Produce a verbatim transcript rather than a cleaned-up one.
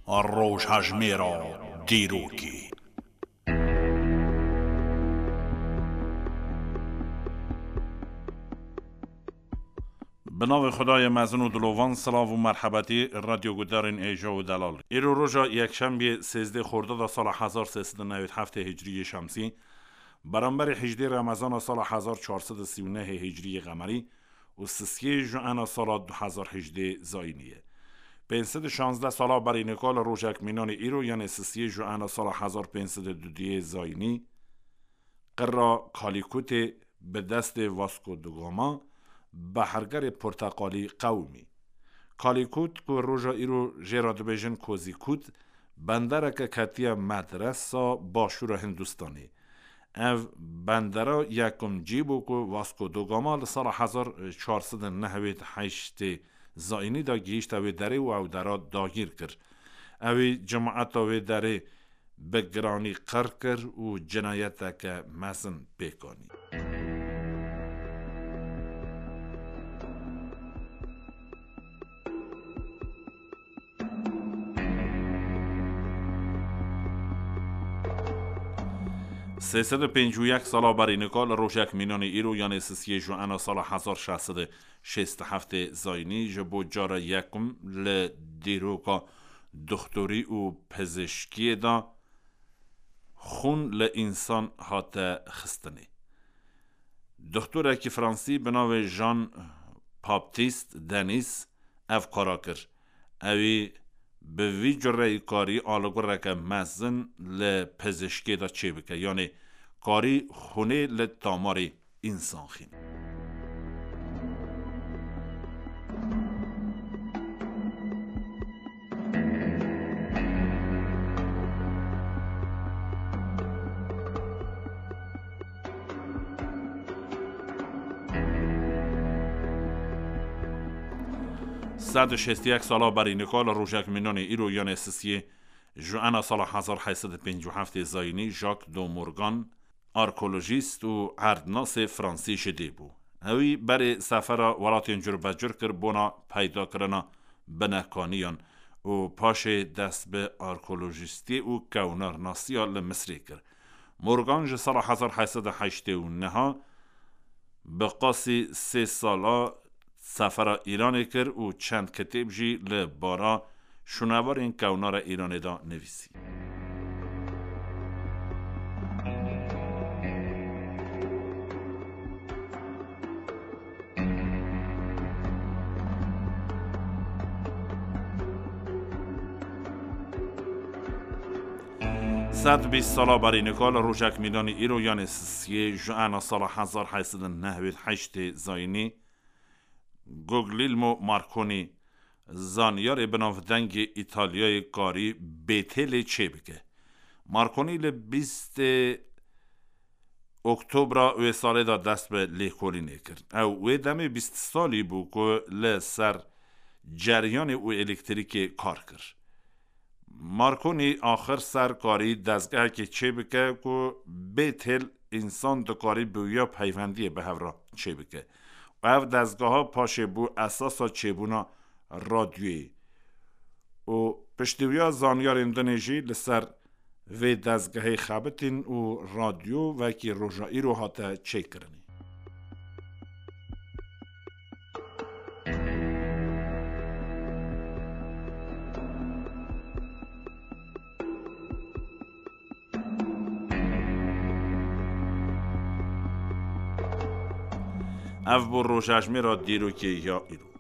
Rojhejmêra dîrokê. Bi navê Xwedayê mezin û dilovan, silav û merhebetî radyo gudarên hêja û delal. Îro roja yekşembiyê sêzdeh Xordada sala hezar sê sed û newêd heftê Hicriyê Şemsî, beramberî hejdê Remezana sala hezar çar sed û sî û nehê Hicriyê Qemerî û sisiyê Juena sala du hezar hejdê Zayînî ye. Pênc sed û şazdeh sala berî nika li rojek mînanê îro, yanê sisiyê Juena sala hezar pênc sed û duduyê Zayînî, qirra Kalîkutê bi destê Vasco da Gama, behergerê porteqalî qewimî. Kalîkut, ku roja îro jê re dibêjin Kozîkut, bendereke ketiye medresa başûra Hindistanê. Ev bendera yekum cî bû ku Vasco da Gama li sala hezar çar sed û nehwêd heştê Zayînî de gihîşte wê derê û ew dera dagîr kir. Ewî cemaeta wê derê bi giranî qir kir û cinayeteke mezin pêk anî. Sê sed û pêncî û yek sala berî nika li rojek mînanê îro, yanê sisiyê Juena sala hezar şeş sed û şêst û heftê Zayînî, ji bo cara yekum li dîroka doxtorî û pizişkiyê de xûn li însan hate xistinê. Doxtorekî fransî bi navê Jean Baptiste Denis ev kara kir. Ewî bi vî cureyî karî alîgureke mezin li pizişkê de çêbike, yanê karî xûnê li tamarê însan xîn. Sed û şêst û yek sala berî nika li rojek mînanê îro, yanê sisiyê Juena sala hezar heşt sed û pêncî û heftê Zayînî, Jacques de Morgan, arkeolojîst û erdnasê fransî ji dê bû. Ewî berê sefera welatên curbecur kir bona peydakirina binekaniyan û paşê dest bi arkeolojîstiyê û kewnarnasiya li Misrê kir. Morgan ji sala hezar heşt sed û heştê û neh bi qasî sê sala sefera Îranê kir û çend kitêb jî li bara şûnewarên kewnara Îranê de nivîsî. Sed bîst sala berî nika li rojek mîdanî îro, yanê sisiyê Juena sala hezar heşt sed û nehwêd heştê Zayînî, Guglielmo Marconi, zanyarê binavdengê Îtalyayê, karî Bêtêlê çêbike. Marconi li bîstê Oktobra wê salê de dest bi lêkolînê kir. Ew wê demê bîst salî bû ku li ser ceryanê û elektrîkê kar kir. Marconi axir ser karî dezgehekê çêbike ku Bêtêl însan dikarî bi wîya peywendiyê bi hev re çêbike. Ev dezgeha paşê bû esasa çêbûna radyoyê û piştî wîya zanyarên dinê jî li ser vê dezgehê xebitîn û radyo wekî roja îro hate çêkirinê. Ev bû rojejmêra dîrokê ya îro.